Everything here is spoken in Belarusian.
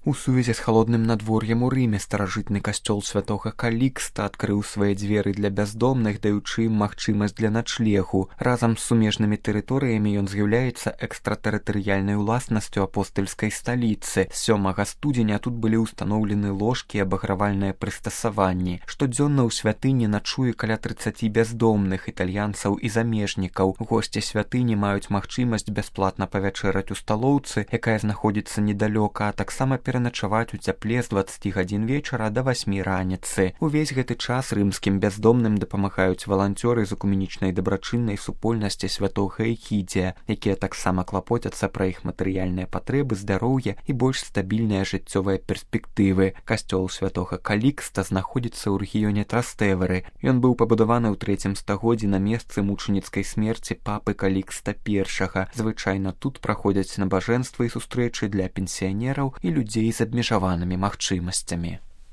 У сувязі з халодным надвор'ем у Рыме старажытны касцёл святога Калікста адкрыў свае дзверы для бяздомных, даючы ім магчымасць для начлегу. Разам з сумежнымі тэрыторыямі ён з'яўляецца экстратэрытарыяльнай уласнасцю апостальскай сталіцы. 7 студзеня тут былі ўстаноўлены ложкі і абагравальныя прыстасаванні. Штодзённа ў святыні начуе каля 30 бяздомных, італьянцаў і замежнікаў. Госці святыні маюць магчымасць бясплатна павячэраць у сталоўцы, якая знаходзіцца недалёка, а таксама пераначаваць у цяпле з 20 гадзін вечара да 8 раніцы. Увесь гэты час рымскім бяздомным дапамагаюць валанцёры з экуменічнай дабрачыннай супольнасці святога Эгідзія, якія таксама клапоцяцца пра іх матэрыяльныя патрэбы, здароўе і больш стабільныя жыццёвыя перспектывы. Касцёл святога Калікста знаходзіцца ў рэгіёне Траставеры. Ён быў пабудаваны ў 3 стагоддзі на месцы мучаніцкай смерці папы Калікста I. Звычайна тут праходзяць набажэнствы і сустрэчы для пенсіянераў і людзей з абмежаванымі магчымасцямі.